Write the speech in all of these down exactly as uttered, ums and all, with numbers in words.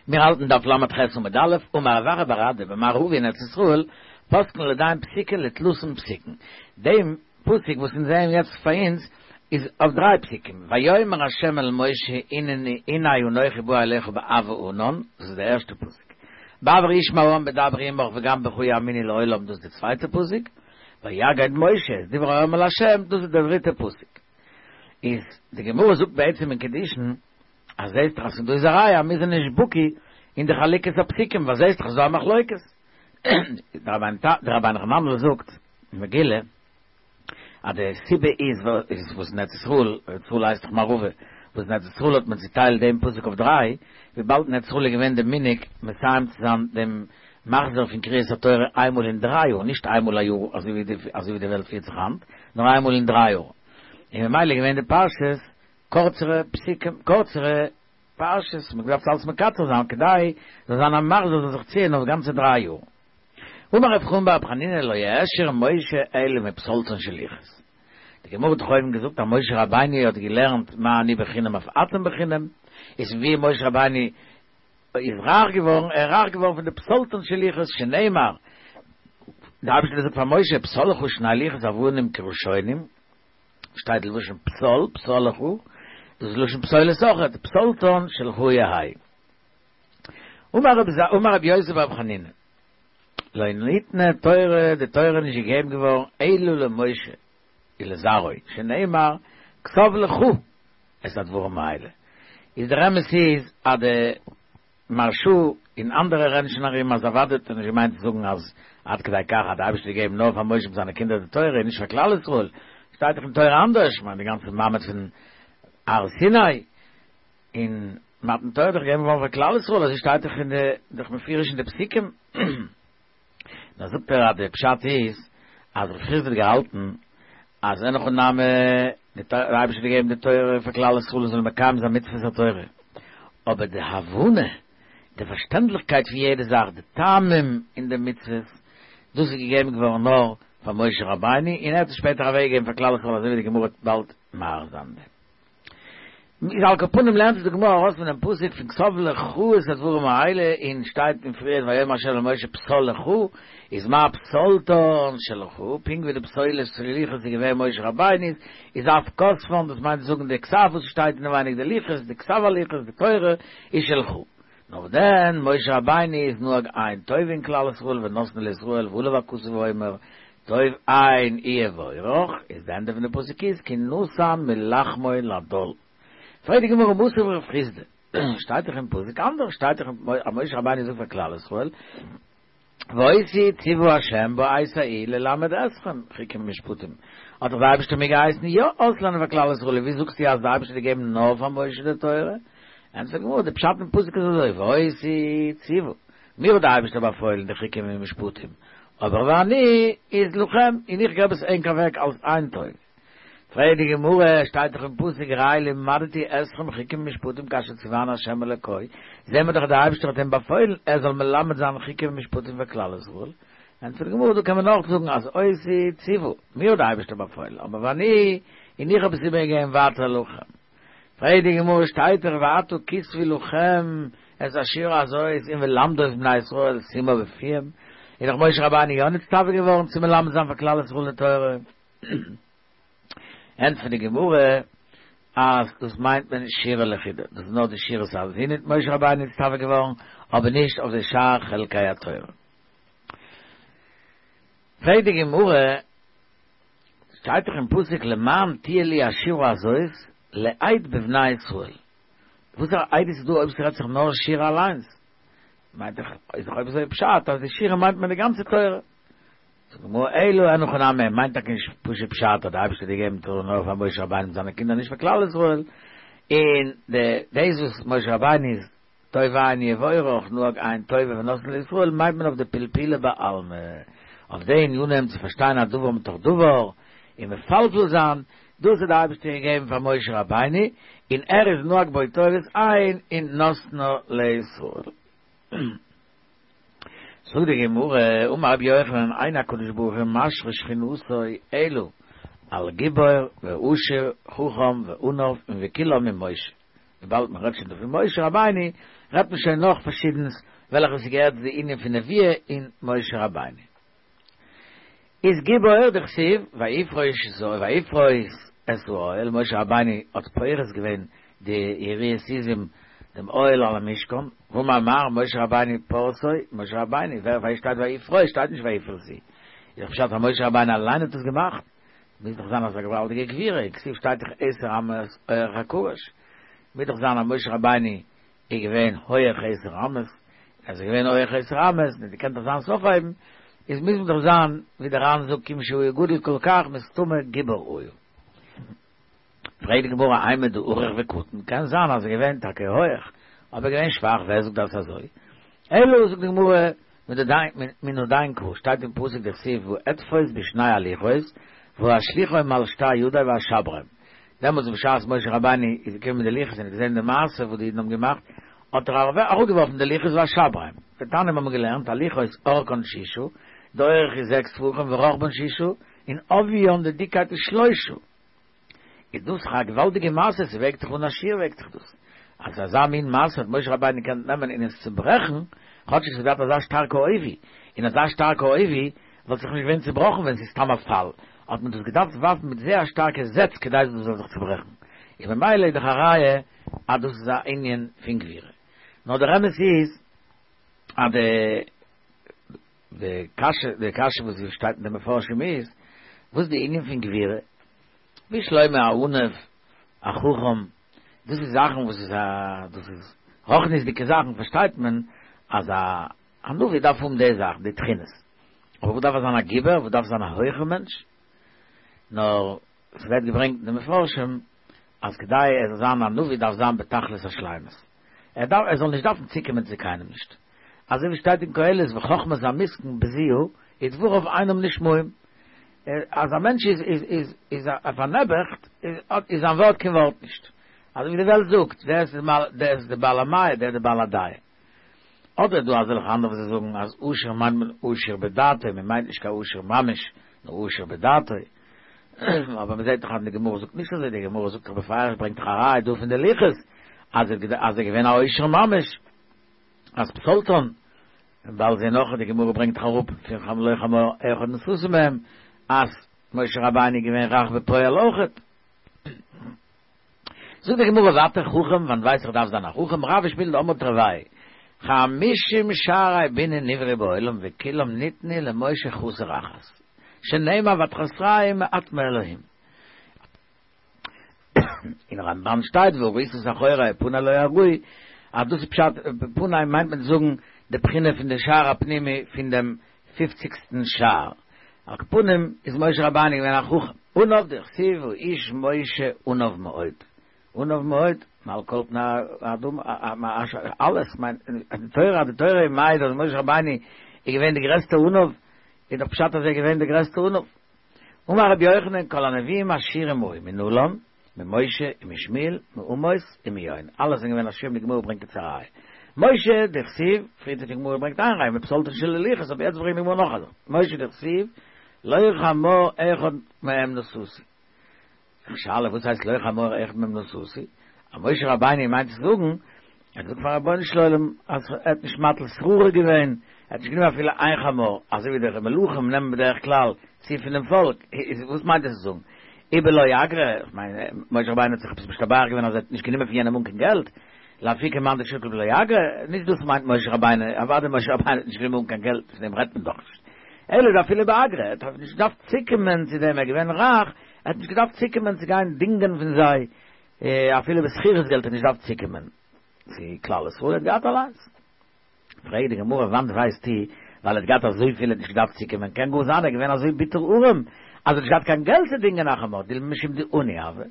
מיר האלטן דף ל"ח עמוד א', אמר רב אחא בר אדא במערבא אין ארץ ישראל, פוסקין לידין פסיקא לתלתין פסוקין. דעם פסוק וואס אונז זעען יעצט פאר אונז איז אויף דריי פסוקים, ויאמר ה' אל משה הנה אנכי בא אליך בעב הענן, דאס איז דער ערשטער פסוק, בעבור ישמע העם בדברי עמך וגם בך יאמינו לעולם, דאס איז דער צווייטער פסוק, ויגד משה את דברי העם אל ה', דאס איז דער דריטער פסוק. איז די גמרא זאגט בעצם אין קידושין, אז זעהסט דאך אז פון דא איז א ראיה אז מיר זענען נישט בקי אין די חלוקת הפסוקים ווייל זעהסט דאך אז ס'דא א מחלוקת. דער רבינו חננאל זאגט אין מגילה אז די סיבה איז וואס אין ארץ ישראל, ארץ ישראל הייסט דאך מערבא, וואס אין ארץ ישראל האט מען צוטיילט דעם פסוק אויף דריי, וויבאלד אין ארץ ישראל איז געווען די מנהג מסיים צו זיין דעם מחזור פון קריאת התורה איינמאל אין דריי יאר, נישט איינמאל א יאר אזוי ווי די וועלט פירט זיך היינט, נאר איינמאל אין דריי יאר, און ממילא איז געווען די פרשות קורצערע פסוקים, קורצערע פרשות, מ'האט געדארפט אלץ מקצר זיין כדי זאל זיין א מחזור זאל זיך ציען אויף גאנצע דריי יאר. אמר רב חמא בר חנינא לא העשיר משה אלא מפתלתון של לוחות. די גמרא האט דאך אויבן געזאגט אז משה רבינו האט געלערנט מה אני בחינם אף אתם בחינם, איז פון ווי משה רבינו איז רייך געווארן, ער איז רייך געווארן פון די פתלתון של לוחות, שנאמר, די אייבערשטער האט געזאגט פאר משה פסל לך שני לוחות אבנים כראשונים, שטייט לשון פסל, פסל לך, דאס איז לשון פסולת אויכעט, פתלתון שלך יהא. אמר רבי יוסי ברבי חנינא, לא ניתנה תורה, די תורה איז נישט געגעבן געווארן אלא למשה ולזרעו, שנאמר, כתוב לך את הדברים האלה. איז דער אמת איז אז די מהרש"א און אנדערע רעדן שוין ארום אז אוודאי האט ער נישט געמיינט צו זאגן אז עד כדי כך אז די אייבערשטער האט געגעבן נאר פאר משה מיט זיינע קינדער די תורה און נישט פאר כלל ישראל, שטייט דאך אין תורה אנדערש, כ'מיין די גאנצע מעמד פון הר סיני און מתן תורה איז דאך געגעבן געווארן פאר כלל ישראל אזוי שטייט דאך אין די דאך מפורש אין די פסוקים. דאן זאגט ער אז די פשט איז אז רב חסדא האט געהאלטן אז אין הכי נמי די אייבערשטער האט געגעבן די תורה פאר כלל ישראל זאלן מקיים זיין מצוות התורה, אבער די הבנה, די פארשטענדליכקייט פון יעדע זאך, די טעמים אין די מצוות, דאס איז געגעבן געווארן נאר פאר משה רבינו, און ער האט עס שפעטער אוועקגעגעבן פאר כלל ישראל אזוי ווי די גמרא וועט באלד מאריך זיין. איז על כל פנים לערנט עס די גמרא ארויס פון דעם פסוק פון כתוב לך את הדברים האלה און שטייט אין פריער ויאמר ה' אל משה פסל לך איז מה פתלתון שלך פונקט ווי די פתילות של לוחות איז געווען משה רבינו'ס איז אף כתבן דאס מיינט צו זאגן די כתב וואס שטייט אינעווייניג די לוחות די כתב הלוחות די תורה איז שלך נאר דען משה רבינו איז נהג עין טובה אין כלל ישראל ונתנה לישראל ועליו הכתוב אומר טוב עין יבורך, איז די ענדע פון די פסוק איז כי נתן מלחמו לדל. פרעגט די גמרא מתיב רב חסדא, שטייט דאך אין פסוק אנדערש, שטייט דאך אז משה רבינו זאגט פאר כלל ישראל, ואותי ציוה ה' בעת ההיא ללמד אתכם חוקים ומשפטים, האט דאך די אייבערשטער מיר געהייסן יא אויסלערנען פאר כלל ישראל, ווי זאגסטו אז די אייבערשטער האט געגעבן נאר פאר משה די תורה? ענטפערט די גמרא, די פשט אין פסוק איז אזוי, ואותי ציוה, מיר האט די אייבערשטער באפוילן די חוקים און משפטים, אבער ואני איז לכם, און איך געב עס ענק אוועק אלס עין טובה. פרעגט די גמרא, שטייט דאך אין פסוק ראה לימדתי אתכם חוקים ומשפטים כאשר ציווני ה' אלוקי, זעהן מיר דאך אז דער אייבערשטער האט אים באפוילן ער זאל מלמד זיין חוקים ומשפטים פאר כלל ישראל, ענטפערט די גמרא, דא קען מען אויך זאגן אז אותי ציוה, מיר האט דער אייבערשטער באפוילן, אבער ואני, און איך האב עס איבערגעגעבן ווייטער לכם. פרעגט די גמרא שטייט דאך ועתה כתבו לכם את השירה הזאת און ולמדו את בני ישראל שימה בפיהם, איז דאך משה רבינו יא נצטווה געווארן צו מלמד זיין פאר כלל ישראל די תורה. ענטפערט די גמרא אז דאס מיינט מען שירה לחודה, דאס איז נאר די שירת האזינו איז משה רבינו נצטווה געווארן, אבער נישט אויף די שאר חלקי התורה. פרעגט די גמרא שטייט דאך אין פסוק למען תהיה לי השירה הזאת לעד בבני ישראל, וואסערע עדות איז דא אויב ס'רעדט זיך נאר שירה אליינס? מיינט דאך איז דאך אויב אזוי פשט אז די שירה מיינט מען די גאנצע תורה. זאגט די גמרא אלא אין הכי נמי מיינט טאקע נישט פשוט פשט אז די אייבערשטער האט געגעבן תורה נאר פאר משה רבינו מיט זיינע קינדער נישט פאר כלל ישראל, און די דאס וואס משה רבינו איז טוב עין יבורך נהג עין טובה ונתנה לישראל מיינט מען אויף די פלפולא בעלמא, אויף די ענינים צו פארשטיין א דבר מתוך דבר און מפלפל זיין, דאס האט די אייבערשטער געגעבן פאר משה רבינו און ער איז נהג בו טובת עין און נתנה לישראל. זאגט די גמרא, אמר רבי יוחנן אין הקדוש ברוך הוא משרה שכינתו אלא על גיבור ועשיר חכם ועניו און וכולם עם משה. וויבאלד מען רעדט שוין דא פון משה רבינו, רעדט מען שוין נאך פארשידענס וועלכע ס'געהערט צו די ענין פון נביאה אין משה רבינו. איז גיבור דכתיב ויפרוש ויפרוס את האוהל, משה רבינו האט פורס געווען די יריעות עזים דעם אוהל על המשכן, והוא אמר משה רבינו פרסו, משה רבינו, ווער ווייסט שטייט ויפרוס, שטייט נישט ויפרסו. איז דאך פשט אז משה רבינו אליין האט עס געמאכט, מוז דאך זיין אזא געוואלדיגע גבורה, כתיב שטייט דאך עשר אמות אורך הקרש, מוז דאך זיין אז משה רבינו איז געווען הויעך עשר אמות, אז ער איז געווען הויעך עשר אמות, און געקענט אזאנס אויפהייבן, איז מוז מען דאך זיין, ווי דער ר"ן זאגט כיון שהוא גדול כל כך מסתמא גיבור היה. פרעגט די גמרא אימר דארוך וקטין, קען זיין אז ער איז געווען טאקע הויעך, אבער געווען שוואך, ווער זאגט דאס אזוי? אלא זאגט די גמרא, מן הדין קרא, שטייט אין פסוק דכתיב ואתפוס בשני הלוחות ואשליכם על שתי ידי ואשברם, דעמאלטס בשעת משה רבינו איז געקומען מיט די לוחות און האט געזען די מעשה וואס די אידן האבן געמאכט, האט ער אראפגעווארפן די לוחות ואשברם. ותניא האבן מיר געלערנט הלוחות אורכן שישה, די אורך איז זעקס טפחים ורחבן שישה, און עוביין די דיקייט איז שלושה. איז דאס א געוואלדיגע מעשה, ס'וועגט זיך אן א שיעור וועגט זיך דאס. אז אזא מין מעשה האט משה רבינו געקענט נעמען און עס צוברעכן, כאטש עס האט געהאט אזא שטארקע עובי, און אזא שטארקע עובי וואלט זיך נישט געווען צובראכן ווען ס'איז סתם א פאל, האט מען דאס געדארפט ווארפן מיט זייער א שטארקע זעץ כדי דאס זאל זיך צוברעכן, און ממילא איז דאך א ראיה אז דאס איז א ענין פון גבורה. נאר דער אמת איז אז די די קשיא די קשיא וואס שטייט אין די מפרשים איז, וואס איז די ענין פון גבורה? בשלמא א עניו, א חכם, דאס איז זאכן וואס איז א דאס איז רוחניות'דיגע זאכן פארשטייט מען אז א א נביא דארף האבן די זאכן די תכונות, אבער וואס דארף ער זיין א גיבור, וואס דארף זיין א הויכע מענטש? נאר ס'ווערט געברענגט אין די מפרשים אז כדי ער זאל זיין א נביא דארף זיין בתכלית השלימות, ער דארף ער זאל נישט דארפן צוקומען צו קיינעם נישט, אזוי ווי שטייט אין קהלת וחכמת המסכן בזויה ודבריו אינם נשמעים, אז א מענטש איז איז איז איז א פארנעבעכט איז זיין ווארט קיין ווארט נישט, אזוי ווי די וועלט זאגט דער איז דער איז די בעל המאה דער איז די בעל הדעה. אדער איז דא אזעלכע אנדערע וואס זיי זאגן אז עשיר מיינט מען עשיר בדעתו, מען מיינט נישט קיין עשיר ממש, נאר עשיר בדעתו. אבער מען זעט דאך אז די גמרא זאגט נישט אזוי, די גמרא זאגט דאך בפירוש, ברענגט דאך א ראיה דא פון די לוחות אז ער איז געווען א עושר ממש, אז פסולתן, און באלד זען נאך אז די גמרא ברענגט דאך אראפ פון לא חמור אחד נשאתי מהם אז משה רבינו איז געווען רך בפועל אויכעט. זאגט די גמרא ווייטער חכם, וואנעט ווייס איך דארף זיין א חכם, רב ושמואל דאמרי תרוייהו חמישים שערי בינה נבראו בעולם וכולם ניתנו למשה חסר אחת שנאמר ותחסרהו מעט מאלהים. אין רמב"ן שטייט וראית את אחורי ופני לא יראו, אז דאס איז פשט פני מיינט מען צו זאגן די בחינה פון די שער הפנימי פון דעם פופציגסטן שער, על כל פנים איז משה רבינו געווען א חכם, עניו דכתיב האיש משה עניו מאוד, עניו מאוד, מעל כל פני האדמה, אלעס מיינט די תורה, אז די תורה איז מעיד אז משה רבינו איז געווען די גרעסטע עניו, איז דאך פשט אז ער איז געווען די גרעסטע עניו. אמר רבי יוחנן כל הנביאים עשירים היו מנלן, ממשה ומשמואל, מעמוס ומיונה, אלע זענען געווען עשירים, די גמרא ברענגט יעצט א ראיה, משה דכתיב, פריער האט די גמרא געברענגט איין ראיה מפסולתן של לוחות, אבער יעצט ברענגט די גמרא נאך א זאך, משה דכתיב, לא חמור אחד מהם נשאתי. שאלה וואס הייסט לא חמור אחד מהם נשאתי? אז משה רבינו מיינט צו זאגן, ער האט געזאגט פארן רבונו של עולם אז ער האט נישט מטיל שררה געווען, ער האט נישט גענומען אפילו איין חמור, אזוי ווי די מלכים נעמען בדרך כלל צו פונעם פאלק, איז וואס מיינט עס צו זאגן? ובלא אגרא, איך מיין משה רבינו האט זיך עפעס משתבח געווען אז ער האט נישט גענומען פון יענעם אן קיין געלט, לאפוקי מאן דשקיל בלא אגרא, נישט דאס מיינט משה רבינו, אוודאי משה רבינו האט נישט גענומען אן קיין געלט, פון דעם רעדט מען דאך נישט. אלא דאפילו באגרא, ער האט נישט געדארפט צוקומען צו דעם, ער איז געווען רייך, ער האט נישט געדארפט צוקומען צו גיין דינגען פון זיי, אפילו בשכירות געלט האט נישט געדארפט צוקומען צו כלל ישראל, ער האט געהאט אליינס. פרעגט די גמרא וואנעט ווייסטו, ווייל ער האט געהאט אזויפיל ער האט נישט געדארפט צוקומען, קען גאר זיין ער איז געווען אזוי ביטער ארעם אז ער האט נישט געהאט קיין געלט צו דינגען א חמור, דילמא משום דעני הוה.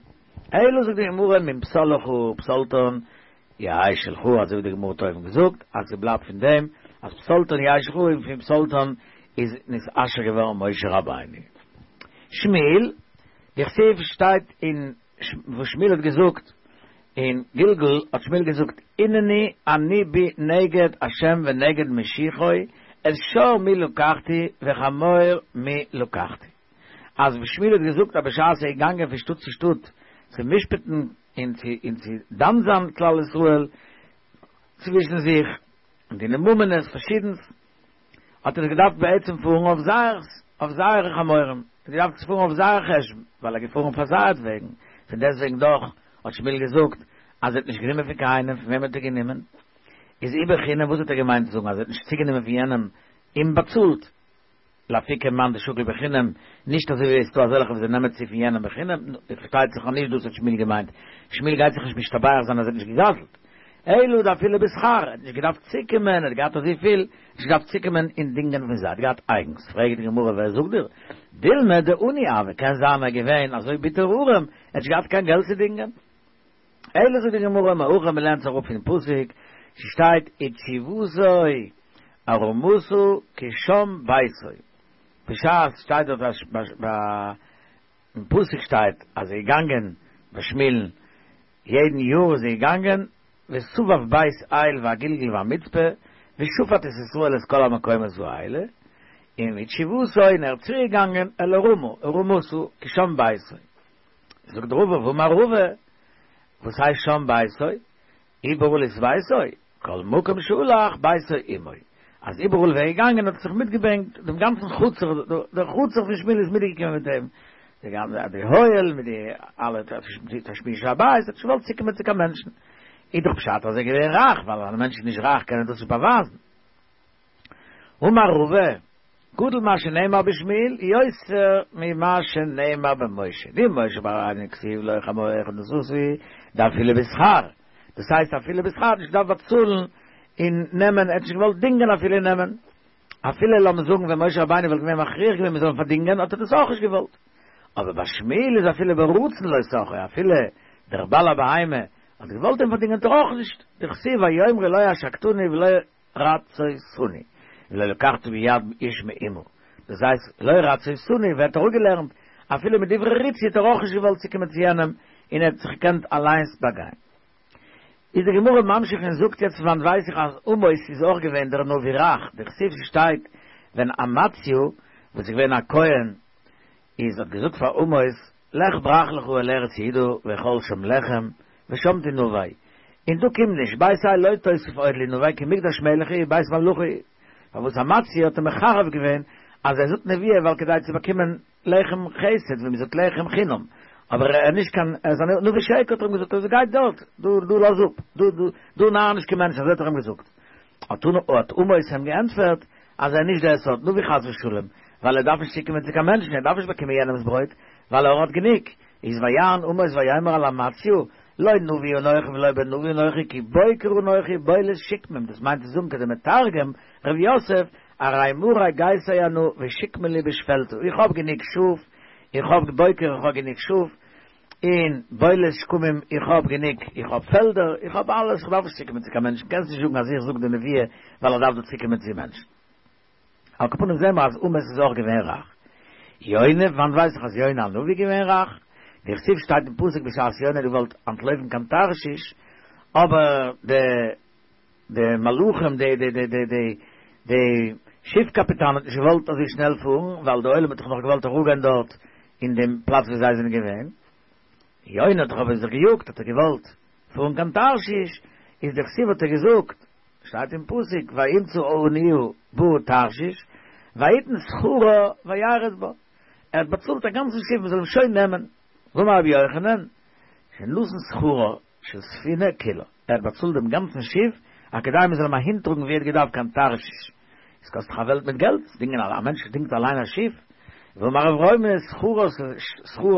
אלא זאגט די גמרא מן פסל לך פסולתן יהא שלך, אזוי ווי די גמרא האט אויבן געזאגט אז ס'בלייבט פון דעם אז פסולתן יהא שלך און פון פסולתן איז נתעשר געווארן משה רבינו. שמואל, דכתיב שטייט אין וואס שמואל האט געזאגט אין גלגל האט שמואל געזאגט הנני אני בי נגד השם ונגד משיחו את שור מי לקחתי וחמור מי לקחתי אז שמואל האט געזאגט אז בשעת ער איז געגאנגען פון שטאט צו שטאט צו משפט'ן און צו און צו דן זיין כלל ישראל צווישן זיך, און דיני ממונות פארשידנס, האט ער געדארפט בעצם פארן אויף זייערס, אויף זייערע חמורים, ער האט געדארפט פארן אויף זייער חשבון, ווייל ער איז געפארן פאר זייערט וועגן, פון דעסטוועגן דאך האט שמואל געזאגט אז ער האט נישט גענומען פון קיינעם, פון וועם האט ער גענומען? איז אי בחינם, וואס האט ער געמיינט צו זאגן אז ער האט נישט צוגענומען פון יענעם און באצאלט? לאפוקי מאן דשקיל בחינם, נישט אזוי ווי עס איז דא אזעלכע וואס זיי נעמען צו פון יענעם בחינם, פארשטייט זיך אז נישט דאס האט שמואל געמיינט, שמואל גייט זיך נישט משתבח זיין אז ער האט נישט געגזלט, אלא דאפילו בשכר, ער האט נישט געדארפט צוקומען, ער האט געהאט אזויפיל, נישט געדארפט צוקומען און דינגען פון זיי, ער האט געהאט אייגנס, פרעגט די גמרא ווער זאגט דיר, דילמא דעני הוה, קען זיין ער איז געווען אזוי ביטער ארעם, ער האט נישט געהאט קיין געלט צו דינגען. אלא זאגט די גמרא מהכא מ'לערנט זיך אפ פון פסוק, ס'שטייט ותשובתו ארמתה כי שם ביתו, בשעת שטייט דארט אז אין פסוק שטייט אז ער איז געגאנגען ביי שמואל'ן יעדן יאר איז ער געגאנגען וסבב בית אל והגלגל והמצפה ושפט את ישראל את כל המקומות האלה, און ותשובתו און ער איז צוריק געגאנגען אל הרמה ארמתה כי שם ביתו. זאגט רבא ואמר רבא, וואס הייסט שם ביתו? איבעראל איז ביתו, כל מקום שהלך ביתו עמו, אז איבעראל ווי ער איז געגאנגען האט ער זיך מיטגעברענגט דעם גאנצן חצר, דער חצר פון שמואל איז מיטגעקומען מיט אים, די גאנצע די אוהל מיט די אלע תשמישי הבית, ער האט נישט געוואלט צוקומען צו קיין מענטשן, איז דאך פשט אז ער איז געווען רייך, ווייל אז א מענטש איז נישט רייך קען ער דאס נישט באווייזן. אמר רבא, גדול מה שנאמר בשמואל יותר ממה שנאמר במשה, דמשה רבינו כתיב לא חמור אחד נשאתי דאפילו בשכר, דאס הייסט אפילו בשכר האט נישט געדארפט באצאלן און נעמען, ער האט נישט געוואלט דינגען אפילו נעמען, אפילו לאמיר זאגן ווען משה רבינו וואלט געווען מכריח געווען מען זאל אים פארדינגען האט ער דאס אויך נישט געוואלט, אבער ביי שמואל איז אפילו ברצון לא שכרו, אפילו דער בעל הבהמה האט געוואלט אים פארדינגען האט ער אויך נישט, דכתיב ויאמרו לא עשקתני ולא רצותני, ולא לקחתי מיד איש מאומה, דאס הייסט לא רצותני ווערט אראפגעלערנט, אפילו מיט דברי ריצוי האט ער אויך נישט געוואלט צוקומען צו יענעם און ער האט זיך געקענט אליינס באגיין. איז די גמרא ממשיך און זאגט יעצט פון וואנט ווייס איך אז עמוס איז אויך געווען דער נביא רך, דכתיב ס'שטייט ווען אמציה וואס איז געווען א כהן איז האט געזאגט פאר עמוס לך ברח לך אל ארץ יהודה ואכול שם לחם ושם תנבא און דו קום נישט בית אל לא תוסיף עוד להנבא כי מקדש מלך הוא ובית ממלכה הוא פארוואס אמציה האט אים מחרף געווען אז ער זאגט נבואה ווייל כדי צו באקומען לחם חסד ווי מ'זאגט לחם חינם אבער ער איז נישט קיין ער איז א נביא שקר האט ער אים געזאגט אזוי גיי דארט דו דו לאז אפ דו דו דו נאר נישט קיין מענטש אזוי האט ער אים געזאגט האט האט עמוס אים געענטפערט אז ער איז נישט דער סארט נביא חס ושלום ווייל ער דארף נישט צוקומען צו קיין מענטשן ער דארף נישט באקומען יענעמס ברויט ווייל ער האט גענוג איז ויען עמוס ויאמר אל אמציה לא נביא אנכי ולא בן נביא אנכי כי בוקר אנכי בולת שקמים דאס מיינט צו זאגן כדמתרגם ר' יוסף ארי מרי גייסי אנא ושקמין לי בשפלתא איך האב גענוג שאף איך האב בוקר איך האב גענוג שאף און בולת שקמים איך האב גענוג איך האב פעלדער איך האב אלעס איך דארף נישט צוקומען צו קיין מענטשן קענסט נישט זאגן אז איך זאג די נבואה ווייל איך דארף דא צוקומען צו מענטשן על כל פנים זעהן מיר אז עמוס איז אויך געווען רייך. יונה, וואנט ווייס איך אז יונה הנביא געווען רייך? דכתיב שטייט אין פסוק בשעת יונה האט געוואלט אנטלויפן קיין תרשיש, אבער די די מלחים די די די די די די שיף קאפיטאן האט נישט געוואלט אזוי שנעל פארן ווייל די עולם האט דאך נאך געוואלט אראפגיין דארט אין דעם פלאץ ווי זיי זענען געווען, יונה האט דאך אבער זיך געיאגט האט ער געוואלט פארן קיין תרשיש, איז דכתיב האט ער געזאגט, שטייט אין פסוק וימצא אניה באה תרשיש ויתן שכרה וירד בה, ער האט באצאלט א גאנצן שיף מען זאל אים שוין נעמען, ואמר רבי יוחנן שנתן שכרה של ספינה כולה, ער האט באצאלט דעם גאנצן שיף אז כדי מען זאל אים אהינטראגן ווי ער האט געדארפט קיין תרשיש, עס קאסט דאך א וועלט מיט געלט, דינגען א מענטש דינגט אליין א שיף, ואמר רב רוימי שכרה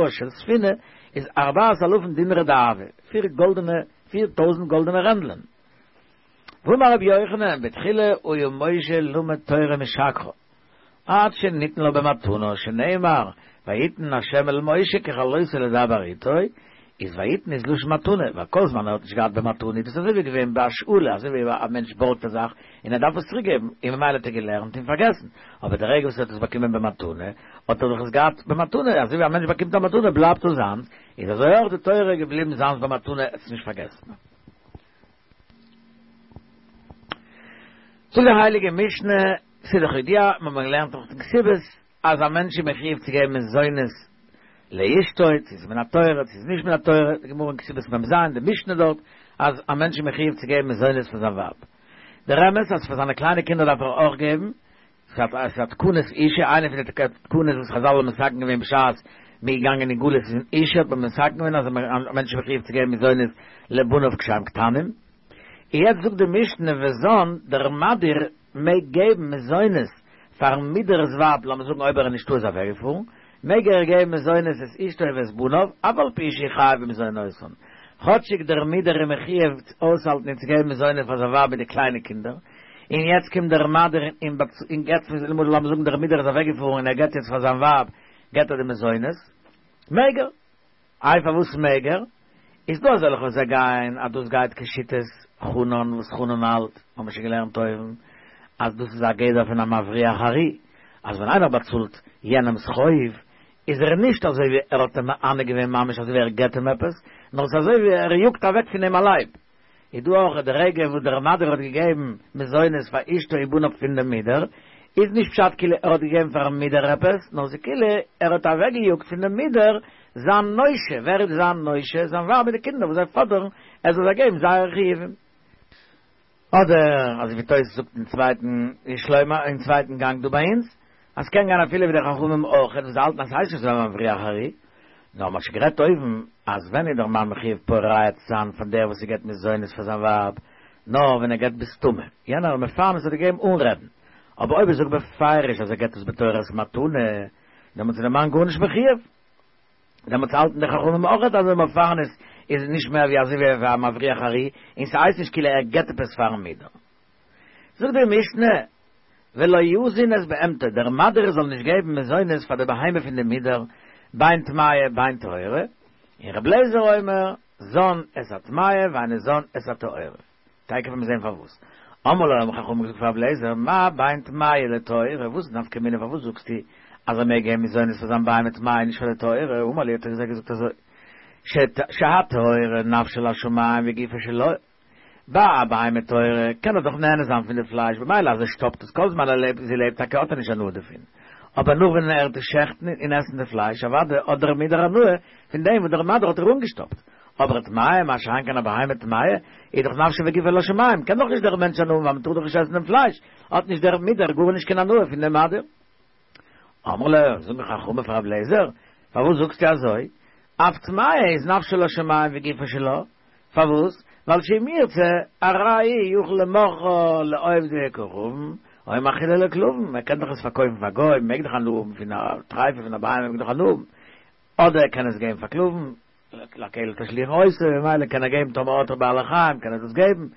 של ספינה איז ארבעת אלפים דינרי דהבא, פיר גאלדענע פיר טויזנט גאלדענע רענדלען. ואמר רבי יוחנן, בתחילה היה משה לומד תורה משכרה, עד שניתנה לו במתנה, שנאמר, ויתן ה' אל משה ככלותו לדבר איתו, איז ויתן איז לשון מתנה, ווייל כל זמן ער האט נישט געהאט במתנה איז דאס אזוי ווי געווען בהשאלה, אזוי ווי א מענטש בארגט א זאך און ער דארף עס צוריק געבן, און ממילא האט ער געלערנט און פארגעסן, אבער די רגע וואס ער האט עס באקומען במתנה, האט ער דאך עס געהאט במתנה, אזוי ווי א מענטש באקומט א מתנה בלייבט עס זיינס, איז אזוי אויך די תורה געבליבן זיינס במתנה, ער האט עס נישט פארגעסן. זאגט די הייליגע משנה, ס'איז דאך ידוע, מיר האבן געלערנט אויך אין כתובות, אז א מענטש איז מחיוב צו געבן מזונות לאשתו, צו ס'איז מן התורה, צו ס'איז נישט מן התורה, די גמרא אין כתובות מ"ז, די משנה דארט, אז א מענטש איז מחויב צו געבן מזונות פאר זיין ווייב. דער אמת אז פאר זיינע קליינע קינדער דארף ער אויך געבן, ס'איז א תקנת אושא, איינע פון די תקנות וואס חזל האבן מתקן געווען בשעת מ'איז געגאנגען אין גלות אין אושא האט מען מתקן געווען אז א מענטש איז מחויב צו געבן מזונות לבניו כשהם קטנים. און יעצט זאגט די משנה וזן, דער מדיר מעג געבן מזונות פארן מודר'ס ווייב, לאמיר זאגן אויב ער איז נישטא איז אוועקגעפארן, מעג ער געבן מזונות את אשתו ואת בניו, אף על פי שהוא חייב במזונותן, כאטשיג דער מודר איז מחויב אויסהאלטן און צו געבן מזונות פאר זיין ווייב מיט די קליינע קינדער, און יעצט קומט דער מדיר און געבט, למשל לאמיר זאגן דער מודר איז אוועקגעפארן און ער געבט יעצט פאר זיין ווייב געבט ער די מזונות, מעג ער. איי פארוואס מעג ער? איז דא אזעלכע וואס זיי גייען אז דאס גייט כשיטת חנן וואס חנן האלט, האבן מיר שוין געלערנט אויבן, אז דאס איז א גדר פון א מבריח ארי, אז ווען איינער באצאלט יענעמ'ס חוב, איז ער נישט אזוי ווי ער האט אים מענה געווען ממש אזוי ווי ער געבט אים עפעס, נאר ס'איז אזוי ווי ער יאגט אוועק פון אים א לייב. איז דא אויך די רגע וואס דער מדיר האט געגעבן מזונות פאר אשתו ובניו פון דעם מודר, איז נישט פשט כאילו ער האט געגעבן פארן מודר עפעס, נאר ס'איז כאילו ער האט אוועקגעיאגט פון דעם מודר זיין נושה, ווער איז זיין נושה? זיין ווייב מיט די קינדער וואס זיי פאדערן ער זאל זיי געבן זייערע חיובים. אדער אזוי ווי תוס' זאגט אין צווייטן יש לומר אין צווייטן גאנג דא ביי אונז, אז ס'קען גיין אפילו ווי די חכמים אויכעט וואס האלטן אז ס'הייסט נישט אזוי ווי מבריח ארי, נאר מ'האט שוין גערעדט אויבן אז ווען איז דער מאן מחויב פורע צו זיין פאר דער וואס ס'געבט מזונות פאר זיין ווייב, נאר ווען ער געבט בסתמא, יענער מפרנס האט געגעבן אן רעדן, אבער אויב ער זאגט בפירוש אז ער געבט עס בתורת מתנה, דעמאלטס איז דער מאן גארנישט מחויב. דעמאלטס האלטן די חכמים אויכעט אז דער מפרנס איז נישט מער ווי אזוי ווי א מבריח ארי, און ס'הייסט נישט כאילו ער געבט עפעס פארן מודר. זאגט די משנה, ולא יזין את בהמתו, דער מדיר זאל נישט געבן מזונות פאר די בהמה פון די מודר, בין טמאה בין טהורה, און ר' אליעזר אומר, זן את הטמאה ואינו זן את הטהורה. תיכף וועלן מיר זען פארוואס. אמרו לו האבן חכמים געזאגט פאר ר' אליעזר, מה בין טמאה לטהורה, וואס איז נפקא מינה פארוואס זאגסטו אז ער מעג געבן מזונות פאר זיין בהמה טמאה און נישט פאר די טהורה, אמר להו האט ער זיי געזאגט אזוי, שהטהורה נפשה לשמים וגופה שלו, ביי א בהמה טהורה קען ער דאך נהנה זיין פון די פלייש במילא אז ער שטאפט עס כל זמן ער לעבט זי לעבט טאקע האט ער נישט הנאה דערפון, אבער נאך ווען ער וועט עס שעכטן און עסן די פלייש אוודאי האט דער מודר הנאה פון דעם וואס דער מדיר האט איר אנגעשטאפט, אבער טמאה מה שאין כן א בהמה טמאה איז דאך נפשה וגופה לשמים קען דאך נישט דער מענטש הנאה האבן ווייל מען טאר דאך נישט עסן דעם פלייש, האט נישט דער מודר גארנישט קיין הנאה פון דעם מדיר. אמרו לו, זאגן חכמים פאר רבי אליעזר, פארוואס זאגסטו אזוי? אף טמאה איז נפשה לשמים וגופה שלה, פארוואס? ווייל שאם ירצה, הרי הוא יכול למוכרה לעובדי כוכבים, או מאכילה לכלבים, ער קען דאך עס פארקויפן פאר גוים, מעג דאך הנאה האבן פון א טרייפה פון א בהמה מעג דאך הנאה האבן, אדער ער קען עס געבן פאר כלבים, לכלב תשליכון אותו, ממילא קען ער געבן טאמער האט ער בעלי חיים קען ער דאס געבן,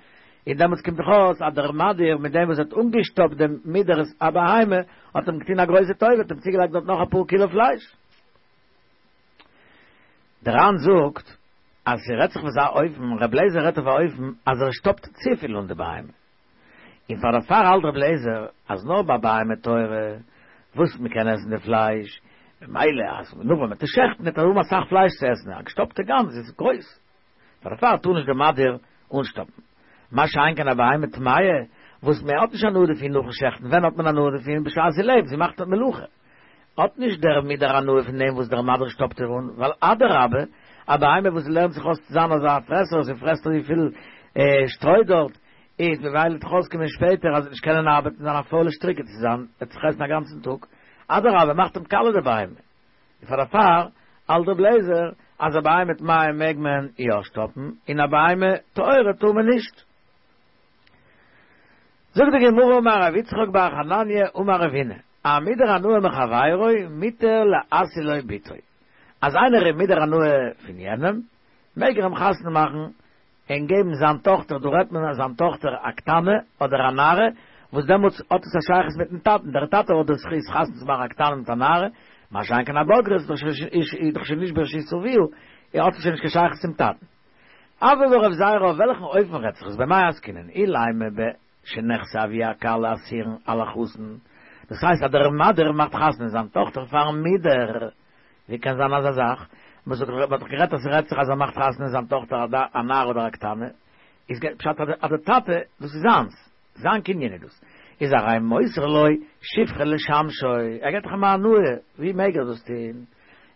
און דעמאלטס קומט דאך אויס אז דער מדיר מיט דעם וואס האט אנגעשטאפט דעם מודר'ס א בהמה האט אים געטון א גרויסע טובה, האט אים צוגעלייגט דארט נאך אפאר קילא פלייש. דער ר"ן זאגט אז ס'רעדט זיך אויף אזא אופן, ר' אליעזר רעדט אויף א אופן אז ער שטאפט צופיל אן די בהמה, און פאר דערפאר האלט ר' אליעזר אז נאר ביי בהמה טהורה וואס מ'קען עסן די פלייש, ממילא אז נאך ווען מ'וועט עס שעכטן וועט ער האבן אסאך פלייש צו עסן, א געשטאפטע גאנז איז גרויס, פאר דערפאר טאר נישט דער מדיר אנשטאפן. מה שאין כן א בהמה טמאה וואס מען האט נישט הנאה דערפון נאכן שעכטן, ווען האט מען הנאה דערפון? בשעת זי לעבט, זי מאכט מלאכה. האט נישט דער מודר הנאה פון דעם וואס דער מדיר שטאפט איר אן, ווייל אדרבה, א בהמה וואס לערנט זיך אויס צו זיין אזא פרעסער, זי פרעסט אזויפיל שטרוי דארט, איז ממילא וועט דאך אויסקומען שפעטער אז זי וועט נישט קענען ארבעטן, זיין א פוילע שטריק וועט זי זיין, וועט זיך עסן א גאנצן טאג, אדרבה, מאכט אים קאליע די בהמה. און פאר דערפאר האלט ר' אליעזר אז א בהמה טמאה מעג מען יא שטאפן און א בהמה טהורה טאר מען נישט. זאגט די גמרא אמר רב יצחק בר חנניה אמר רב הונא, המודר הנאה מחבירו מותר להשיא לו בתו, אז איינער איז מודר הנאה פון יענעם מעג ער אים חתונה מאכן און געבן זיין טאכטער, דא רעדט מען אז זיין טאכטער א קטנה אדער א נערה, וואס דעמאלטס האט עס א שייכות מיטן טאטן, דער טאטע האט די זכות חתונה צו מאכן א קטנה מיט א נערה, מה שאין כן א בוגרת איז דאך שוין נישט ברשות אביה, האט עס שוין נישט קיין שייכות צום טאטן. הוי אמר רב זירא אויף וועלכן אופן רעדט זיך עס במאי עסקינן אילימא בשנכסי אבי הכלה אסורין על החתן, דאס הייסט אז דער מדיר מאכט חתונה זיין טאכטער פארן מודר, ווי קען זיין אזא זאך? מען זאגט מען האט דאך גערעדט אז ס'רעדט זיך אז ער מאכט חתונה זיין טאכטער א נערה אדער א קטנה, איז פשט אז די טאטע דאס איז זיינס, זיין קנין איז דאס, איז הרי מוסר לו שפחה לשמשו, ער געט דאך אים א הנאה, ווי מעג ער דאס טון?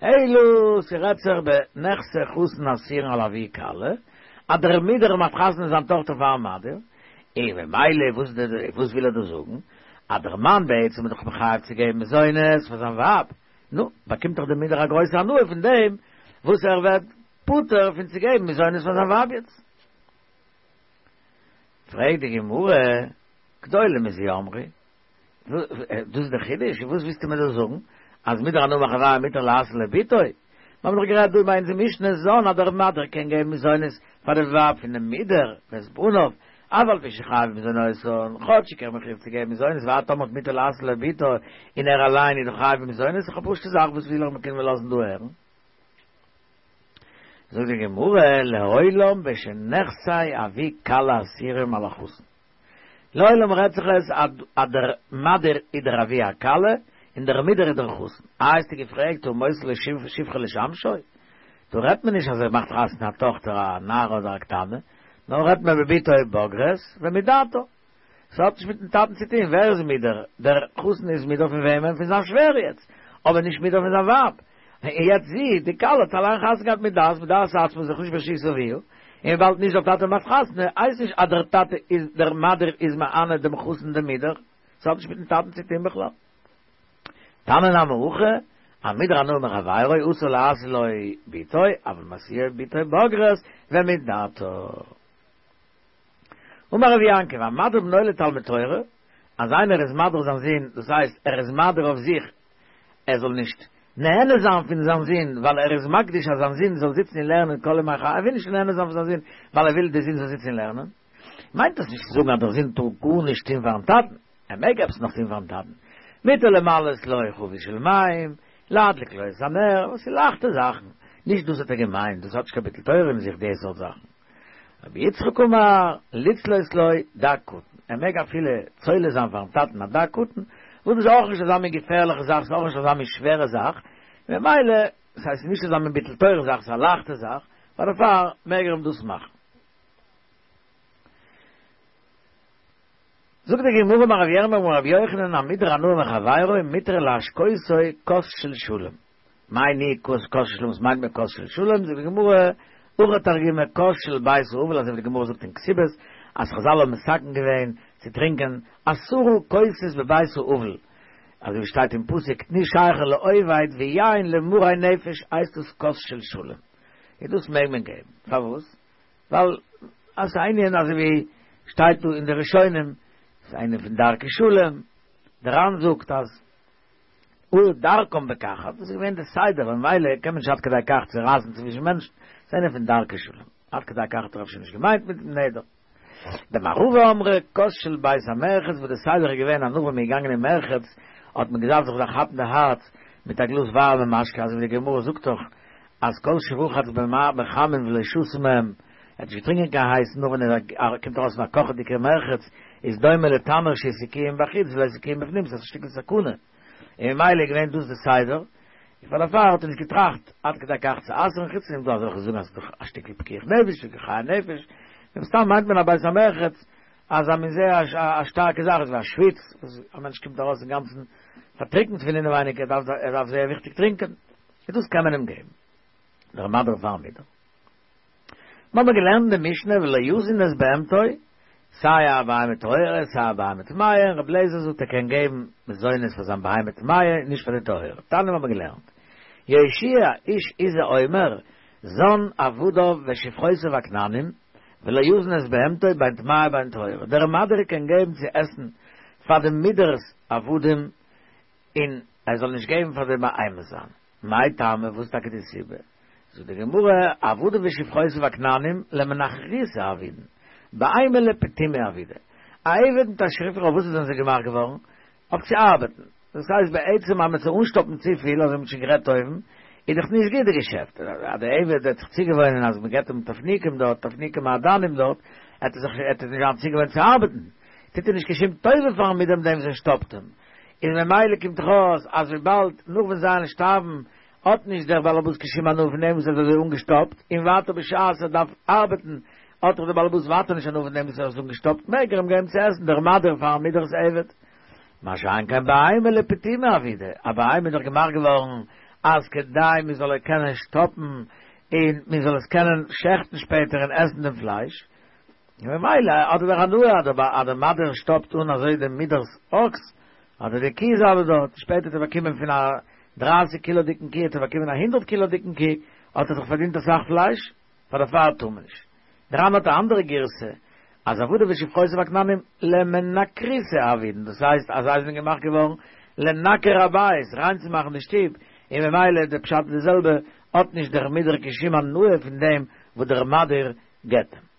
אלו ס'רעדט זיך בנכסי חתן אסורין על אבי כלה, אז דער מידער מאכט חתונה זיין טאכטער פארן מדיר, און ממילא וואס וואס וויל ער דא זאגן? אז דער מאן בעצם איז דאך מחויב צו געבן מזונות פאר זיין ווייב, נו, באקומט דאך דער מידער א גרויסע הנאה פון דעם וואס ער ווערט פטור פון צו געבן מזונות פאר זיין ווייב יעצט. פרעגט די גמרא, גדולה מזו אמרו, דאס איז דער חידוש, וואס ווילסטו מיר דא זאגן? אז מודר הנאה מחבירו מותר להשיא לו בתו? מיר האבן דאך גערעדט דא ביי אונזער משנה זן אז דער מדיר קען געבן מזונות פאר די ווייב פונעם מידר ואת בניו, אף על פי שחייב במזונותן, כאטשיג ער איז מחויב צו געבן מזונות ווייטער טאמער מותר להשיא לו בתו און ער אליין איז דאך חייב במזונות, איז דאך א פשוטע זאך וואס וויל ער מ'קען מיר לאזן דא הערן. זאגט די גמרא, לעולם בשנכסי אבי כלה אסורים על החתן. לעולם רעדט זיך עס אז דער מדיר איז דער אבי הכלה און דער מידר איז דער חתן. איי האסטו געפרעגט הא מוסר לו שפחה לשמשו? דא רעדט מען נישט אז ער מאכט חתונה א טאכטער א נערה אדער א קטנה, נאר רעדט מען בבתו בוגרת ומדעתה. ס'האט נישט מיטן טאטן צו טון, ווער איז מידר? דער חתן איז מידר פון וועמען? פון זיין שווער יעצט, אבער נישט מידר פון זיין ווייב. און יעצט זי, די כלה, האט אליין חתונה געהאט מיט דעת, מדעת עצמה זיך נישט ברשות אביה, און וויבאלד נישט דער טאטע מאכט חתונה, הייסט נישט אז דער טאטע איז, דער מדיר איז מענה דעם חתן דעם מידר, ס'האט נישט מיטן טאטן צו טון בכלל. תניא נמי הכי, המודר הנאה מחבירו אסור להשיא לו בתו, אבל משיאו בתו בוגרת ומדעתה. אמר רבי יעקב, המדיר בנו לתלמוד תורה, אז איינער איז מדיר זיין זון, דאס הייסט ער איז מדיר אויף זיך ער זאל נישט נהנה זיין פון זיין זון, ווייל ער איז מקדיש אז זיין זון זאל זיצן און לערנען כל ימי חייו, ער וויל נישט נהנה זיין פון זיין זון ווייל ער וויל דער זון זאל זיצן און לערנען, מיינט דאס נישט צו זאגן אז דער זון טאר גארנישט טון פארן טאטן, ער מעג עפעס נאך טון פארן טאטן, מותר למלאות לו חבית של מים, להדליק לו את הנר, וואס איז לייכטע זאכן, נישט דאס האט ער געמיינט, דאס האט נישט קיין ביטול תורה אין זיך די סארט זאכן. רבי יצחק אמר, לצלות לו דג קטן, ער מעג אפילו צולה זיין פארן טאטן א דג קטן, וואס דאס איז אויך נישט אזא מין געפערליכע זאך, ס'איז אויך נישט אזא מין שווערע זאך, ממילא, ס'הייסט ס'איז נישט אזא מין ביטול תורה זאך, ס'איז א לייכטע זאך, פאר דערפאר מעג ער אים דאס מאכן. זאגט די גמרא אמר רבי ירמיה אמר רבי יוחנן המודר הנאה מחבירו מותר להשקותו כוס של שלום. מאי ניהו כוס של שלום, וואס מיינט מען כוס של שלום? זאגט די גמרא, הכי תרגמא כוס של בית האבל, אזוי ווי די גמרא זאגט אין כתובות, אז חזל האבן מתקן געווען צו טרינקען עשרה כוסות בבית האבל, אזוי ווי שטייט אין פסוק תנו שכר לאובד ויין למרי נפש הייסט דאס כוס של שלום, און דאס מעג מען געבן, פארוואס? ווייל אז ס'איז א ענין אזוי ווי שטייט דא אין די ראשונים, ס'איז א ענין פון דרכי שלום, דער ר"ן זאגט אז היו דרכם בכך, אז דאס איז געווען די סדר, ממילא קען מען נישט עד כדי כך צורייסן צווישן מענטשן, ס'איז א ענין פון דרכי שלום, עד כדי כך האט ער אפשר נישט געמיינט מיטן נדר. במערבא אמרי כוס של בית המרחץ וואס די סדר איז געווען אז נאך ווען מ'איז געגאנגען אין מרחץ האט מען געדארפט זיך דערכאפן די הארץ מיט א גלאז ווארעמע משקה אזוי ווי די גמרא זאגט דאך אז כל שרחץ בחמין ולא שתה מהם ער האט נישט געטרינקען קיין הייס נאר ווען ער קומט ארויס פון א קאכעדיגע מרחץ איז דומה לתנור שהסיקוהו מבחוץ ולא הסיקוהו מבפנים ס'איז א שטיקל סכנה און ממילא איז געווען דאס די סדר און פאר דערפאר האט ער נישט געטראכט עד כדי כך צו אסר'ן חוץ פון דעם דא אזעלכע זאגן אז ס'איז דאך א שטיקל פיקוח נפש שטיקל חיי נפש מן הסתם מיינט מען א בית המרחץ אז א מין זייער א שטארקע זאך אזוי ווי א שוויץ וואס א מענטש קומט ארויס אינגאנצן פארטריקנט פון אינעווייניג ער דארף ער דארף זייער וויכטיג טרינקען און דאס קען מען אים געבן דער מדיר פארן מידר. מיר האבן געלערנט אין די משנה ולא יזין את בהמתו, סיי א בהמה טהורה סיי א בהמה טמאה, און רבי אליעזר זאגט ער קען געבן מזונות פאר זיין בהמה טמאה און נישט פאר די טהורה. תניא מיר האבן געלערנט, יהושע איש עוזי אומר, זן עבדיו ושפחותיו הכנענים, ולא יזין את בהמתו בין טמאה בין טהורה. דער מדיר קען געבן צו עסן פאר די מידר'ס עבדים און ער זאל נישט געבן פאר די בהמה זיינע. מאי טעמא, וואס איז טאקע די סיבה? זאגט די גמרא, עבדיו ושפחותיו הכנענים למנחריתא עבידן, בהמה לפטומי עבידא. א עבד מיט א שפחה אויף וואס זענען זיי געמאכט געווארן? אויף צו ארבעטן. דאס הייסט בעצם אז מ'וועט זיי אנשטאפן צופיל, אזוי ווי מ'האט שוין גערעדט אויבן, איז דאך נישט גוט די געשעפט. אז דער עבד וועט זיך צוגעוואוינען אז מ'געט אים תפניקים דארט, תפניקי מעדנים דארט, עט ער זיך עט ער נישט זיין צוגעוואוינט צו ארבעטן. טוט ער נישט קיין שום טובה פארן מיט דעם דעם וואס ער שטאפט אים. איז ממילא קומט דאך אויס אז וויבאלד נאך ווען זיי וועלן שטארבן האט נישט דער באלעבאס קיין שום הנאה פון דעם וואס ער האט אזוי אנגעשטאפט, און ווייטער בשעת ער דארף ארבעטן האט דאך דער באלעבאס ווייטער נישט הנאה פון דעם וואס ער האט אנגעשטאפט, מעג ער אים געבן צו עסן דער מדיר פארן מידר'ס עבד. מה שאין כן בהמה לפטומי עבידא, א בהמה איז דאך געמאכט געווארן אז כדי מען זאל קענען שטאפן און מען זאל עס קענען שעכטן שפעטער און עסן דעם פלייש. ממילא האט ער דאך הנאה אז דער אז דער מדיר שטאפט אן אזוי דעם מודר'ס אקס, אדער די קי איז אבער דארט, שפעטער האט ער באקומען פון א דרײַסיק קילאדיקן קי, האט ער באקומען א הונדערט קילאדיקן קי, האט ער זיך פארדינט א סך פלייש, פאר דערפאר טאר מען נישט. דער ר"ן האט א אנדערע גירסא, אז עבדיו ושפחותיו הכנענים למנקריתא עבידן, דאס הייסט אז זיי זענען געמאכט געווארן לנקר הבית, ריין צו מאכן די שטוב, און ממילא דער פשט איז די זעלבע, האט נישט דער מודר קיין שום הנאה פון דעם וואס דער מדיר געט אים.